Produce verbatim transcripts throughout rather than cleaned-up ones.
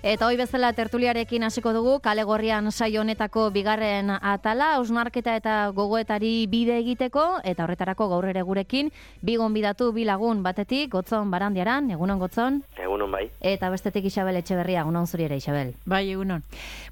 Eta hoi bezala tertuliarekin hasiko dugu, kale gorrian saio honetako bigarren atala, hausnarketa eta gogoetari bide egiteko, eta horretarako gaur ere gurekin, bi gonbidatu bi lagun batetik, Gotzon Barandiaran, egunon Gotzon? Egunon bai. Eta bestetik Isabel Etxeberria, egunon zuri ere Isabel? Bai, egunon.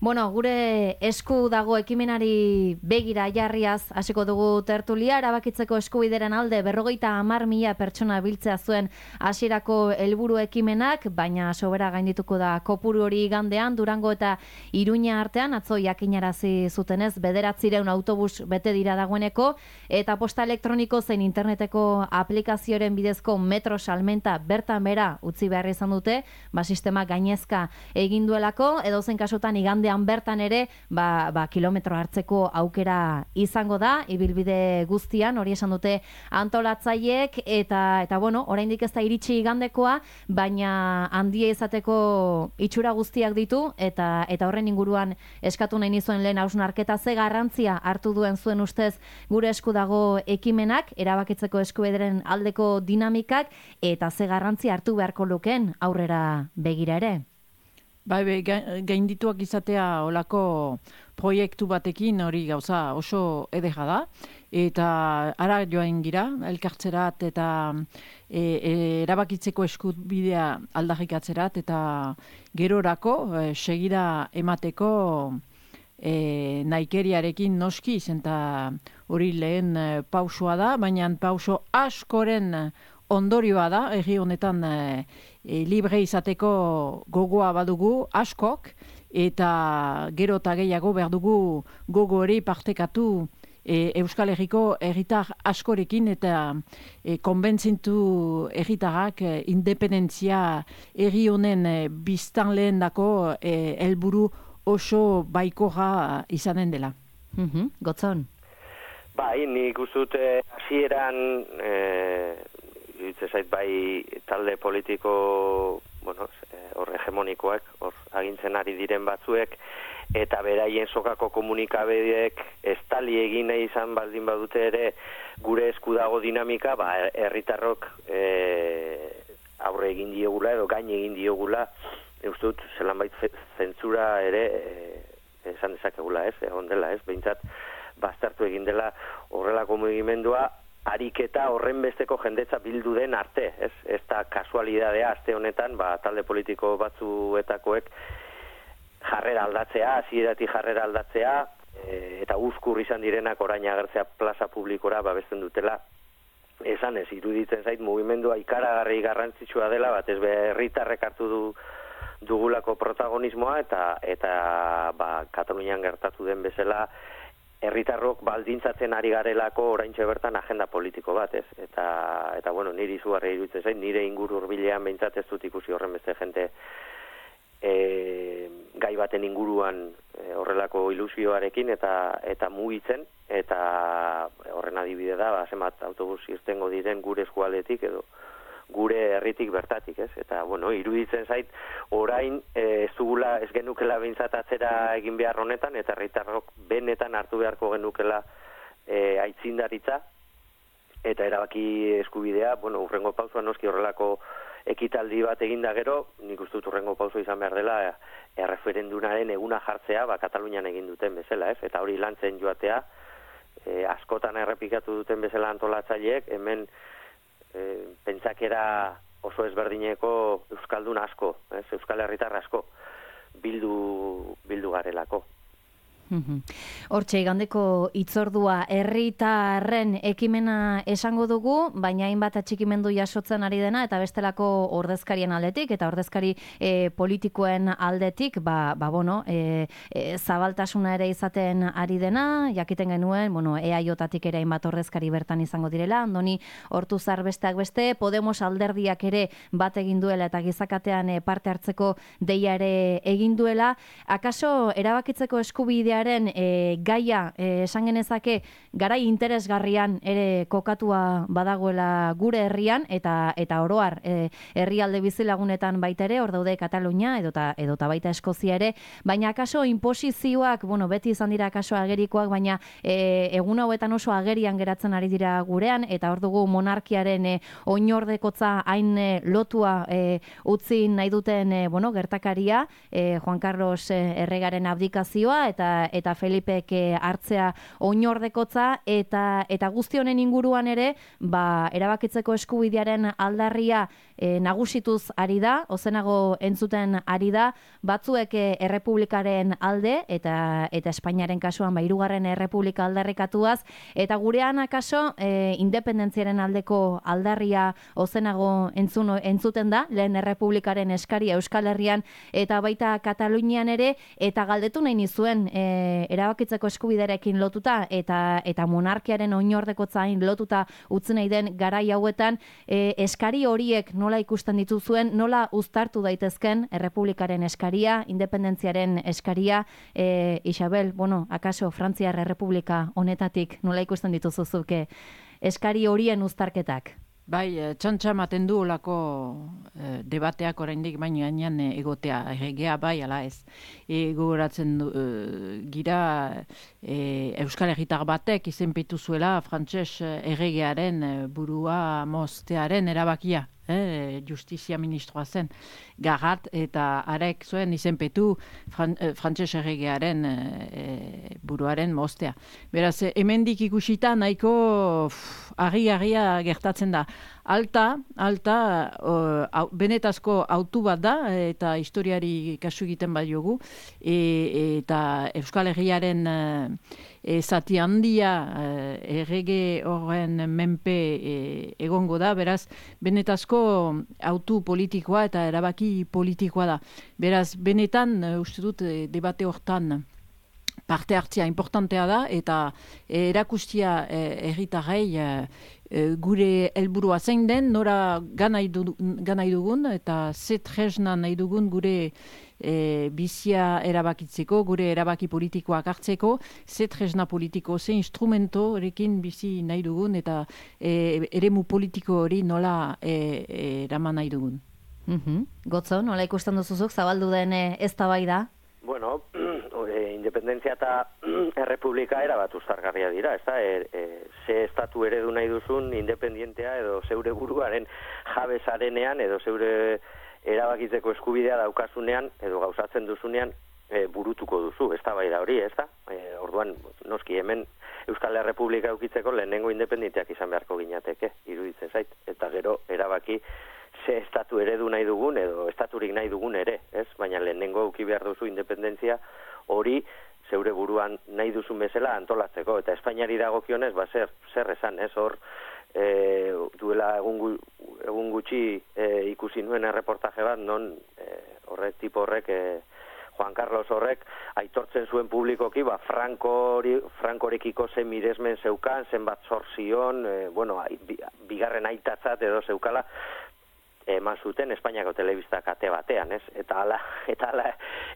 Bueno, gure esku dago ekimenari begira jarriaz hasiko dugu tertulia, erabakitzeko eskubideren alde berrogeita hamar mila pertsona biltzea zuen hasierako helburu ekimenak, baina sobera gaindituko da kopuru hori gandean, Durango eta Iruña artean, atzo jakinarazi zutenez, bederatzireun autobus bete dira dagoeneko, eta posta elektroniko zein interneteko aplikazioaren bidezko metro salmenta bertan bera utzi behar izan dute, ba, sistema gainezka egin duelako, edo zen kasutan igandean bertan ere, ba, ba, kilometro hartzeko aukera izango da, ibilbide guztian, hori esan dute antolatzaiek, eta, eta bueno, oraindik ez da iritsi igandekoa, baina handia izateko itxura guztiak ditu, eta eta horren inguruan eskatu nahi nizuen lehen hausnarketa, ze garrantzia hartu duen zuen ustez gure esku dago ekimenak, erabakitzeko eskubideren aldeko dinamikak, eta ze garrantzia hartu beharko lukeen aurrera begira ere? Bai, bai, gaindituak izatea olako proiektu batekin hori gauza oso edera da, eta ara joain gira, elkartzerat eta e, e, erabakitzeko eskubidea aldarrikatzerat, eta gerorako e, segira emateko e, naikeriarekin noski, eta hori lehen e, pausua da, baina pauso askoren ondorioa da, herri honetan e, e, libre izateko gogoa badugu askok, eta gero eta gehiago behar dugu gogo hori partekatu e, Euskal Herriko herritar askorekin, eta e, konbentzintu herritarrak e, independentzia herri honen e, biztanleen dako e, helburu oso baikorra izanen dela. Mm-hmm. Gotzon? Bai, nik uzute hasieran e, Iritze zait bai talde politiko, bueno, hor hegemonikoak, hor agintzen ari diren batzuek, eta beraien sokako komunikabideek estali egin nahi izan baldin badute ere gure esku dago dinamika, ba, herritarrok e, aurre egin diogula edo gain egin diogula, eustut, zelanbait zentzura ere e, esan dezakegula, ez, egon dela, ez, behintzat baztertu egin dela horrelako mugimendua, ariketa horren besteko jendetza bildu den arte, ez? Ez da kasualidadea aste honetan, ba, talde politiko batzuetakoek jarrera aldatzea, hasieratik jarrera aldatzea, e, eta uzkur izan direnak orain agertzea plaza publikora babesten dutela. Esan ez, iruditzen zait mugimendua ikaragarri garrantzitsua dela, bat ez be herritarrek hartu du dugulako protagonismoa, eta eta ba, Katalunian gertatu den bezala, herritarrok baldintzatzen ari garelako oraintxe bertan agenda politiko bat, ez? Eta, eta bueno, niri izugarri iruditzen zain, nire inguru hurbilean behintzat ez dut ikusi horren beste jente e, gai baten inguruan e, horrelako ilusioarekin eta eta mugitzen, eta horren adibide da, ba, zenbat autobus irtengo diren gure eskualdetik edo gure herritik bertatik, ez? Eta, bueno, iruditzen zait, orain e, ez dugula, ez genukela behintzat atzera egin behar honetan, eta herritarrok benetan hartu beharko genukela e, aitzindaritza, eta erabaki eskubidea, bueno, urrengo pausua noski horrelako ekitaldi bat eginda gero, nik uste dut urrengo pauso izan behar dela, erreferendunaren eguna jartzea, ba, Katalunian egin duten bezala, ez? Eta hori lantzen joatea, e, askotan errepikatu duten bezala antolatzaileek, hemen E, pentsakera oso ezberdineko euskaldun asko, ez? Euskal herritar asko bildu bildu garelako. Hortxe, igandeko itzordua herritarren ekimena esango dugu, baina hainbat atxikimendu jasotzen ari dena, eta bestelako ordezkarien aldetik, eta ordezkari e, politikoen aldetik, ba, ba bueno, e, e, zabaltasuna ere izaten ari dena, jakiten genuen, bueno, E A J-tatik ere hainbat ordezkari bertan izango direla, Andoni Ortuzar besteak beste, Podemos alderdiak ere bat egin duela, eta gizakatean e, parte hartzeko deia ere egin duela. Akaso erabakitzeko eskubidea eskubidearen e, gaia e, esan genezake garai interesgarrian ere kokatua badagoela gure herrian eta eta oroar e, herrialde bizilagunetan baita ere, hor daude Katalunia edota edota baita Eskozia ere, baina akaso inposizioak, bueno, beti izan dira akaso agerikoak, baina e, egun hauetan oso agerian geratzen ari dira gurean, eta hor dugu monarkiaren e, oinordekotza hain e, lotua e, utzi nahi duten e, bueno, gertakaria, e, Juan Carlos e, erregaren abdikazioa eta eta Felipek e, hartzea oinordekotza, eta eta guzti honen inguruan ere, ba, erabakitzeko eskubidearen aldarria e, nagusituz ari da, ozenago entzuten ari da, batzuek e, errepublikaren alde, eta eta Espainiaren kasuan ba, hirugarren errepublika aldarrikatuaz, eta gurean akaso e, independentziaren aldeko aldarria ozenago entzun, entzuten da, lehen errepublikaren eskaria Euskal Herrian eta baita Katalunian ere, eta galdetu nahi nizuen e, erabakitzeko eskubiderekin lotuta eta eta monarkiaren oinordekotzain lotuta utzi nahi den garai hauetan, e, eskari horiek nola ikusten dituzuen, nola uztartu daitezken errepublikaren eskaria, independentziaren eskaria, e, Isabel, bueno, akaso Frantziar Errepublika honetatik nola ikusten dituzuzuke eskari horien uztarketak? Bai, txantxa maten du olako eh, debateak oraindik baina gainean egotea, erregea bai, ala ez. E, gogoratzen du, e, gira e, Euskal Herritar batek izenpetu zuela frantses erregearen burua moztearen erabakia. Eh, justizia ministroa zen Garat, eta arek zuen izenpetu fran, eh, frantses erregearen eh, buruaren moztea. Beraz, hemendik ikusita nahiko argi-argia gertatzen da. Alta, alta, uh, benetazko autu bat da, eta historiari kasu egiten badiogu, e, eta Euskal Herriaren uh, e, zati handia uh, errege horren menpe e, egongo da, beraz, benetazko autu politikoa eta erabaki politikoa da. Beraz, benetan, uh, uste dut, debate hortan parte hartzea importantea da, eta e, erakustia herritarrei e, gure helburua zein den, nora ganai dugun, eta ze tresna nahi dugun gure e, bizia erabakitzeko, gure erabaki politikoak hartzeko, ze tresna politiko, ze instrumento erekin bizi nahi dugun, eta e, eremu politiko hori nola e, eraman nahi dugun. Mm-hmm. Gotzo, nola ikusten duzuzuk, zabaldu den e, eztabaida? Bueno, independentzia eta errepublika erabat uztargarria dira, ez da, e, e, ze estatu eredu nahi duzun independientea edo zeure buruaren jabezarenean edo zeure erabakitzeko eskubidea daukasunean edo gauzatzen duzunean e, burutuko duzu, ez da bai da hori, ez da? E, orduan, noski hemen Euskal Errepublika eukitzeko lehenengo independenteak izan beharko ginateke, iruditzen zait, eta gero erabaki ze estatu eredu nahi dugun edo estaturik nahi dugun ere, ez? Baina lehenengo euki behar duzu independentzia hori zeure buruan nahi duzun bezala antolatzeko, eta Espainiari dagokionez, ba, zer, zer esan, ez, hor, e, duela egun, egun gutxi e, ikusi nuen erreportaje bat, non e, horrek, tipo horrek, e, Juan Carlos horrek, aitortzen zuen publikoki, ba, Frankori, Frankorekiko zen miresmen zeukan, zenbat zorzion, e, bueno, bigarren aitatzat edo zeukala, eman zuten Espainiako telebista kate batean, ez? Eta ala, eta ala,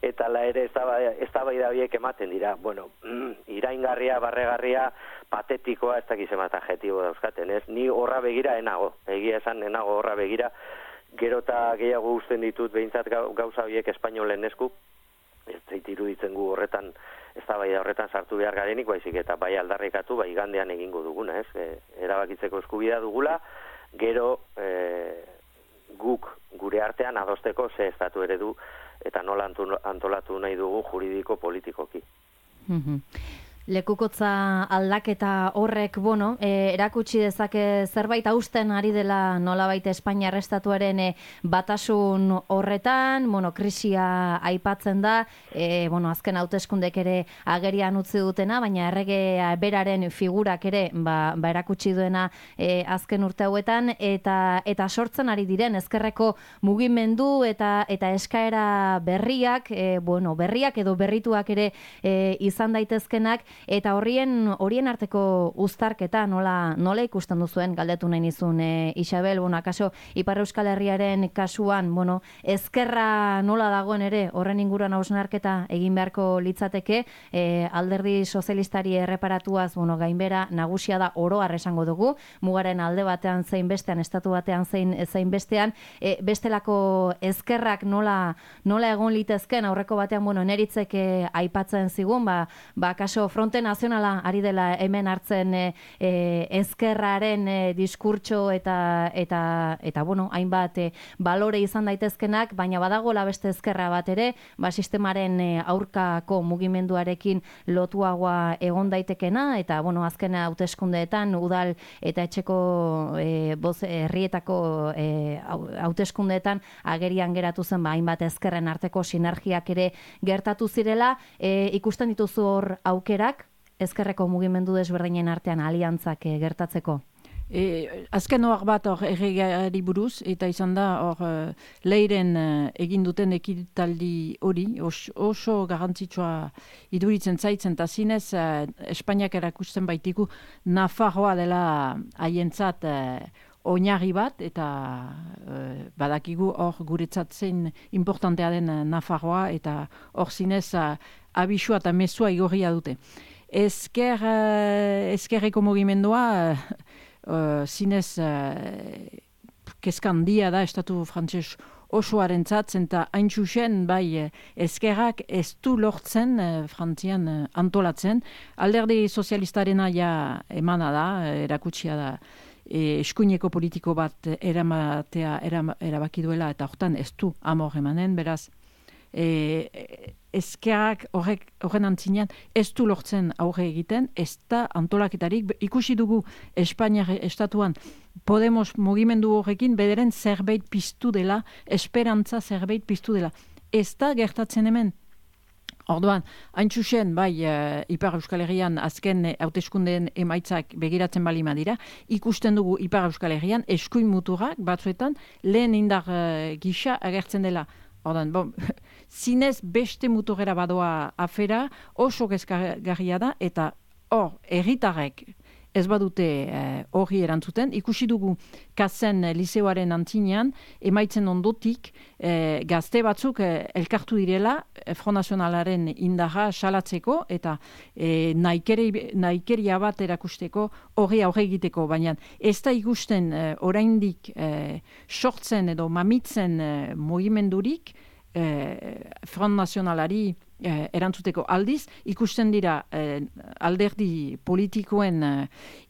eta ala ere eztabaida horiek ematen dira. Bueno, mm, iraingarria, barregarria, patetikoa, ez dakiz emat adjetibo dauzkaten, ez? Ni horra begira enago, egia esan enago horra begira, gero eta gehiago usten ditut behintzat gauza horiek espainolen esku, ez zait iruditzen gu horretan, eztabaida horretan sartu behar garenik, baizik eta bai aldarrikatu, bai igandean egingo duguna, ez? E, erabakitzeko eskubidea dugula, gero e, guk gure artean adosteko ze estatu eredu eta nola antolatu nahi dugu juridiko politikoki. Mm-hmm. Lekukotza aldaketa horrek, bueno, e, erakutsi dezake zerbait hausten ari dela nolabait Espainiar estatuaren e, batasun horretan, bueno, krisia aipatzen da, e, bueno, azken hauteskundek ere agerian utzi dutena, baina errege beraren figurak ere ba, ba erakutsi duena e, azken urte hauetan, eta eta sortzen ari diren ezkerreko mugimendu eta eta eskaera berriak, e, bueno, berriak edo berrituak ere e, izan daitezkenak, eta horrien horien arteko uztarketa nola nola ikusten duzuen galdetu nahi nizun e, Isabel, bueno, akaso Ipar Euskal Herriaren kasuan, bueno, ezkerra nola dagoen ere horren inguruan hausnarketa egin beharko litzateke, e, alderdi sozialistari erreparatuaz, bueno, gainbera nagusia da oro har esango dugu, mugaren alde batean zein bestean, estatu batean zein zein bestean, e, bestelako ezkerrak nola nola egon litezken aurreko batean, bueno, neritzek e, aipatzen zigun, ba, ba kaso Fronte Nazionala ari dela hemen hartzen e, e, ezkerraren e, diskurtso eta eta eta bueno, hainbat e, balore izan daitezkenak, baina badagola beste ezkerra bat ere, ba sistemaren e, aurkako mugimenduarekin lotuagoa egon daitekena, eta bueno, azken hauteskundeetan udal eta etxeko e, boz herrietako e, hauteskundeetan agerian geratu zen ba hainbat ezkerren arteko sinergiak ere gertatu zirela, e, ikusten dituzu hor aukerak ezkerreko mugimendu desberdinen artean aliantzak e, gertatzeko? E, azken hor bat hor erregeari buruz, eta izan da hor uh, leiren uh, egin duten ekitaldi hori, os, oso garrantzitsua iduritzen zaitzen, eta zinez uh, Espainiak erakusten baitiku Nafarroa dela haientzat uh, oinarri bat, eta uh, badakigu hor guretzat zein importantea den uh, Nafarroa, eta hor zinez uh, abisua eta mezua igorria dute. Ezker, uh, ezkerreko mugimendua uh, Uh, zinez uh, kezkandia da estatu frantses osoaren zatzen, eta hain txusen bai ezkerrak ez du lortzen uh, Frantzian uh, antolatzen. Alderdi sozialistarena ja emana da, erakutsia da e, eskuineko politiko bat eramatea eram, erabaki duela, eta hortan ez du amor emanen, beraz e, ezkerrak horrek horren antzinean ez du lortzen aurre egiten, ez da antolaketarik. Ikusi dugu Espainiar estatuan Podemos mugimendu horrekin bederen zerbait piztu dela, esperantza zerbait piztu dela. Ez da gertatzen hemen. Orduan, hain txusen, bai, uh, Ipar Euskal Herrian azken hauteskundeen emaitzak begiratzen bali madira, ikusten dugu Ipar Euskal Herrian eskuin muturrak batzuetan lehen indar uh, gisa agertzen dela. Ordan, bon, zinez beste muturera badoa afera, oso gezgarria da, eta hor, erritarrek ez badute hori eh, erantzuten. Ikusi dugu kazen eh, liseoaren antzinean, emaitzen ondotik, eh, gazte batzuk eh, elkartu direla, eh, Front Nazionalaren indarra salatzeko, eta eh, naikeri, naikeria bat erakusteko, hori aurre egiteko, baina ez da ikusten eh, oraindik eh, sortzen edo mamitzen eh, mugimendurik, eh, Front Nazionalari Eh, erantzuteko aldiz, ikusten dira eh, alderdi politikoen eh,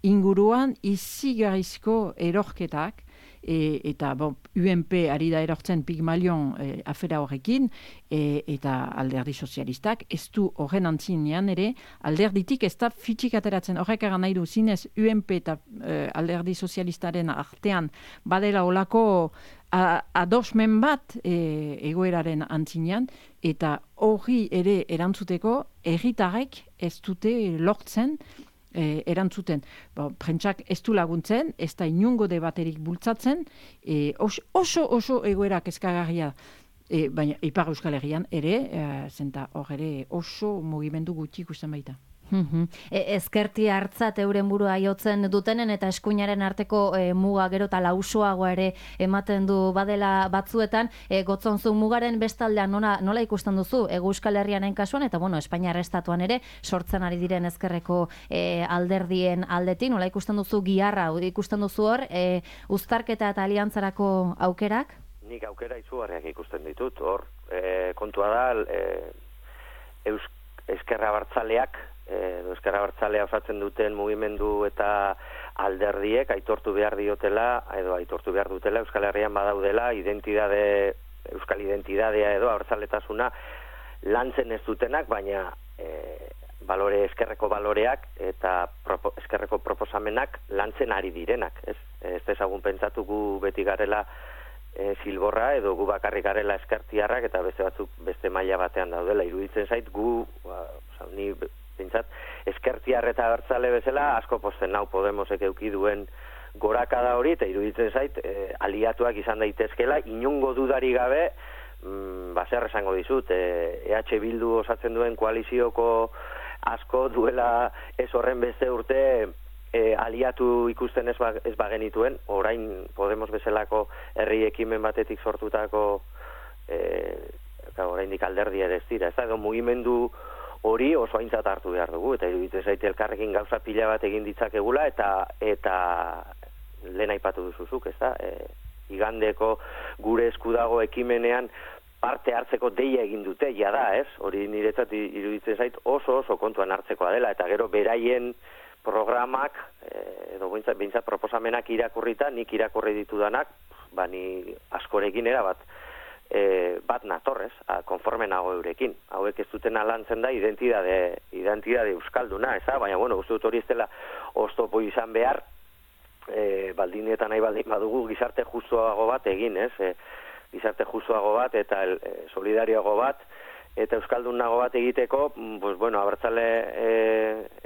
inguruan izigarrizko erorketak, e, eta bon, U N P ari da erortzen Pigmalion eh, afera horrekin, e, eta alderdi sozialistak ez du horren antzinean ere, alderditik ez da fitxik ateratzen. Horrek egan nahi du, zinez U N P eta eh, alderdi sozialistaren artean badela olako adosmen bat e, egoeraren antzinean, eta hori ere erantzuteko erritarrek ez dute lortzen e, erantzuten. Ba, prentsak ez du laguntzen, ez da inungo debaterik bultzatzen, e, oso, oso oso egoerak eskagarria, e, baina Ipar Euskal Herrian ere, e, zenta hor ere oso mugimendu gutxi ikusten baita. Mm-hmm. E, ezkerti hartzat euren burua jotzen dutenen eta eskuinaren arteko e, muga gero eta lausoago ere ematen du badela batzuetan, e, gotzonzu mugaren bestaldean nola, nola ikusten duzu e, Euskal Herrianen kasuan, eta bueno, Espainiar estatuan ere sortzen ari diren ezkerreko e, alderdien aldetik, nola ikusten duzu giharra, ikusten duzu hor, e, uztarketa eta aliantzarako aukerak? Nik aukera izugarriak ikusten ditut, hor e, kontua da e, Eus, ezkerra abertzaleak edo ezkerra abertzalea osatzen duten mugimendu eta alderdiek aitortu behar diotela, edo aitortu behar dutela Euskal Herrian badaudela identidade, euskal identidadea edo abertzaletasuna lantzen ez dutenak, baina e, balore eskerreko baloreak eta propo, eskerreko proposamenak lantzen ari direnak, ez? Ez dezagun pentsatu gu beti garela e, zilborra edo gu bakarrik garela eskertiarrak eta beste batzuk beste maila batean daudela. Iruditzen zait gu, ba, oza, ni pentsat, eskertiar eta abertzale bezala asko posten nau Podemosek eduki duen gorakada hori, eta iruditzen zait e, aliatuak izan daitezkela, inungo dudari gabe, mm, ba, zer esango dizut, e, E H Bildu osatzen duen koalizioko asko duela ez horren beste urte e, aliatu ikusten ez, ba, ez bagenituen, orain Podemos bezalako herri ekimen batetik sortutako e, oraindik alderdi ere ez dira, ez da, mugimendu hori oso aintzat hartu behar dugu, eta iruditzen zaite elkarrekin gauza pila bat egin ditzakegula, eta eta lehen aipatu duzuzuk, ez da, e, igandeko gure eskudago ekimenean parte hartzeko deia egin dute, ja da, ez? Hori niretzat iruditzen zait oso oso kontuan hartzekoa dela, eta gero beraien programak, e, edo behintzat proposamenak irakurrita, nik irakurri ditudanak, ba ni askorekin erabat, E, bat natorrez, a, konforme nago eurekin. Hauek ez duten alantzen da identidade, identidade euskalduna, eza? Baina, bueno, uste dut hori ez dela oztopo izan behar, e, baldinetan nahi baldin badugu gizarte justuago bat egin, ez? E, gizarte justuago bat eta el, e, solidarioago bat, eta euskaldun nago bat egiteko, pues, bueno, abertzale, e,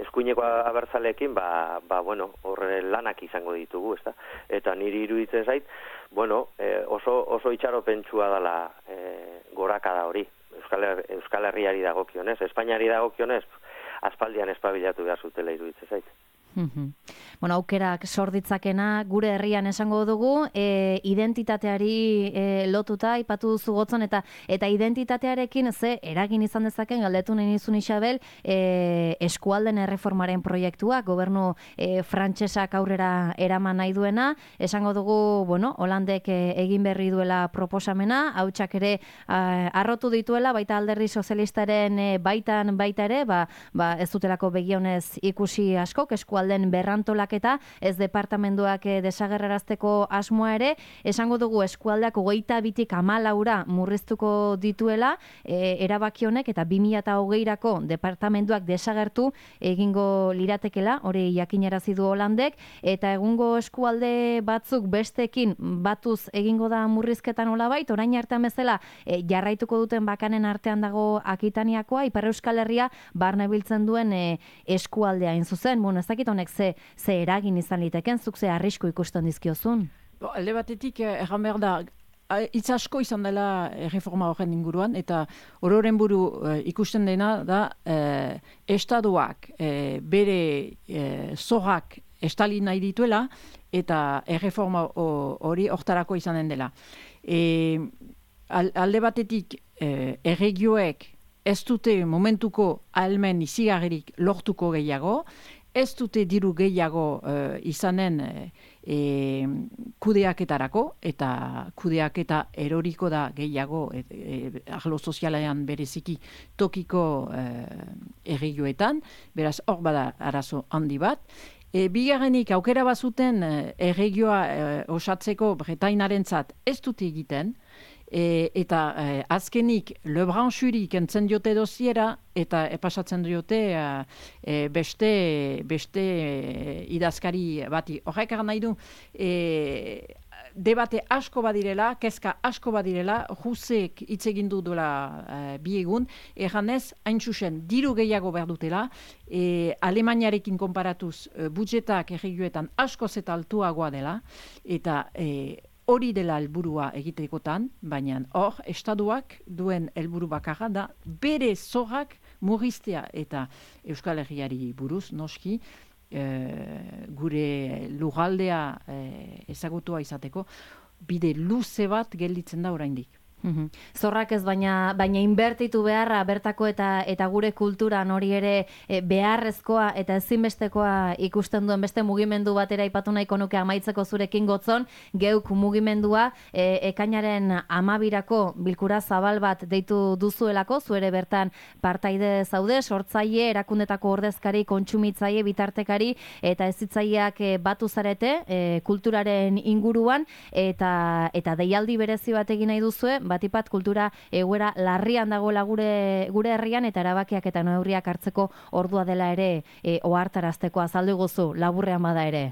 eskuineko abertzaleekin, ba, ba, bueno, horre lanak izango ditugu, ez da? Eta niri iruditzen zait, bueno, eh, oso, oso itxaropentsua dela eh, gorakada hori, Euskal, Euskal Herriari dagokionez, Espainiari dagokionez, aspaldian espabilatu behar zutela iruditzen zait. Mm-hmm. Bueno, aukerak sorditzakena gure herrian esango dugu, e, identitateari e, lotuta aipatu duzu Gotzon, eta eta identitatearekin ze eragin izan dezaken galdetu nahi nizun Isabel, e, eskualden erreformaren proiektua, gobernu e, frantsesak aurrera eraman nahi duena, esango dugu, bueno, Holandek e, egin berri duela proposamena, hautsak ere a, arrotu dituela, baita alderdi sozialistaren e, baitan baita ere, ba, ba ez dutelako begionez ikusi asko, eskualden den berrantolaketa, ez departamenduak desagerrarazteko asmoa ere, esango dugu eskualdeak hogeita bitik hamalaura murriztuko dituela, e, erabaki honek eta bi mila hogeirako departamenduak desagertu egingo liratekela, hori jakinarazi du Holandek, eta egungo eskualde batzuk bestekin batuz egingo da murrizketan olabait, orain artean bezala e, jarraituko duten bakanen artean dago Akitaniakoa, Ipar Euskal Herria barne biltzen duen e, eskualdea in zuzen, bueno, ez dakit honek ze, ze eragin izan liteken, zuk ze arrisku ikusten dizkiozun? Bo, alde batetik, erran behar da, hitz asko izan dela reforma horren inguruan, eta ororen buru e, ikusten dena da, e, estaduak e, bere e, zorrak estali nahi dituela, eta erreforma hori hortarako izanen dela. E, alde batetik, e, erregioek ez dute momentuko ahalmen izigarrik lortuko gehiago, ez dute diru gehiago uh, izanen e, kudeaketarako, eta kudeaketa eroriko da gehiago e, e, arlo sozialean bereziki tokiko uh, erregioetan, beraz hor bada arazo handi bat. E, bigarrenik aukera bazuten uh, erregioa uh, osatzeko Bretainarentzat ez dute egiten, E, eta e, azkenik Le Branchuri kentzen diote dosiera eta epasatzen diote e, beste, beste e, idazkari bati. Horrek nahi du e, debate asko badirela, kezka asko badirela, Jusek hitz egin du duela e, bi egun, erranez, hain zuzen, diru gehiago behar dutela, e, Alemaniarekin konparatuz e, budgetak erregioetan askoz eta altuagoa dela, eta e, hori dela helburua egitekotan, baina hor, estaduak duen helburu bakarra da, bere zorrak murriztea eta Euskal Herriari buruz, noski, e, gure lugaldea e, ezagutua izateko, bide luze bat gelditzen da oraindik. Mm-hmm. Zorrak ez baina baina inbertitu beharra bertako eta eta gure kulturan hori ere e, beharrezkoa eta ezinbestekoa ikusten duen beste mugimendu batera aipatu nahiko nuke amaitzeko zurekin Gotzon, geuk mugimendua e, ekainaren hamabirako bilkura zabal bat deitu duzuelako, zuere bertan partaide zaude, sortzaile, erakundetako ordezkari, kontsumitzaile, bitartekari eta hezitzaileak e, batu zarete e, kulturaren inguruan eta eta deialdi berezi bat egin nahi duzue, batipat kultura egoera larrian dagoela gure gure herrian eta erabakiak eta neurriak hartzeko ordua dela ere e, ohartarazteko azaldu guzu laburrean bada ere.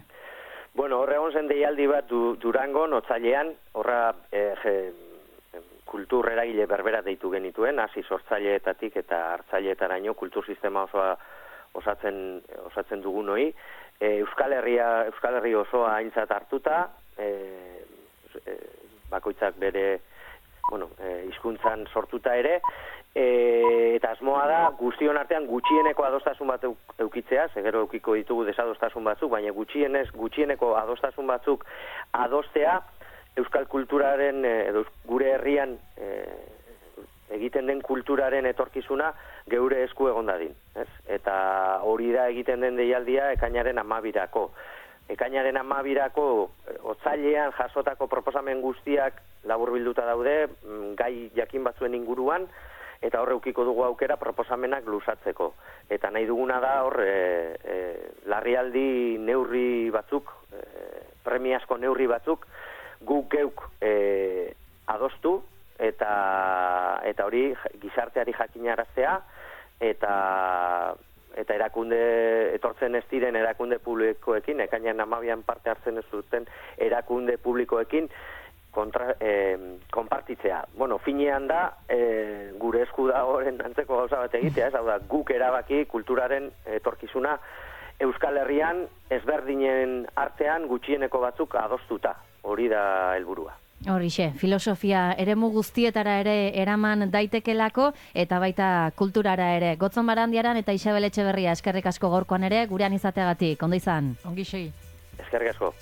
Bueno, horre egon zen deialdi bat du, Durangon, otzailean, horra e, je, kultur eragile berbera deitu genituen, hasi sortzaileetatik eta hartzaileetaraino kultur sistema osoa osatzen osatzen dugun hori. E, Euskal Herria, Euskal Herri osoa aintzat hartuta, e, e, bakoitzak bere bueno, e, hizkuntzan sortuta ere, e, eta asmoa da guztion artean gutxieneko adostasun bat eukitzea, segero eukiko ditugu desadostasun batzuk, baina gutxienez, gutxieneko adostasun batzuk adostea euskal kulturaren, edo gure herrian e, egiten den kulturaren etorkizuna geure esku egon dadin. Ez? Eta hori da egiten den deialdia ekainaren amabirako. Ekainaren amabirako otsailean jasotako proposamen guztiak laburbilduta daude, gai jakin batzuen inguruan, eta hor eukiko dugu aukera proposamenak luzatzeko. Eta nahi duguna da hor e, e, larrialdi neurri batzuk, e, premiazko neurri batzuk, guk geuk e, adostu, eta eta hori gizarteari jakinaraztea, eta eta erakunde, etortzen ez diren erakunde publikoekin, ekainan amabian parte hartzen ez duten erakunde publikoekin, kontra, eh, konpartitzea. Bueno, finean da, eh, gure esku da horren antzeko gauza bat egitea, ez hau da, guk erabaki kulturaren etorkizuna Euskal Herrian ezberdinen artean gutxieneko batzuk adostuta. Hori da helburua. Horixe, filosofia eremu guztietara ere eraman daitekelako eta baita kulturara ere. Gotzon Barandiaran eta Isabel Etxeberria eskerrik asko gaurkoan ere gurean izateagatik. Ondo izan. Ongi segi. Eskerrik asko.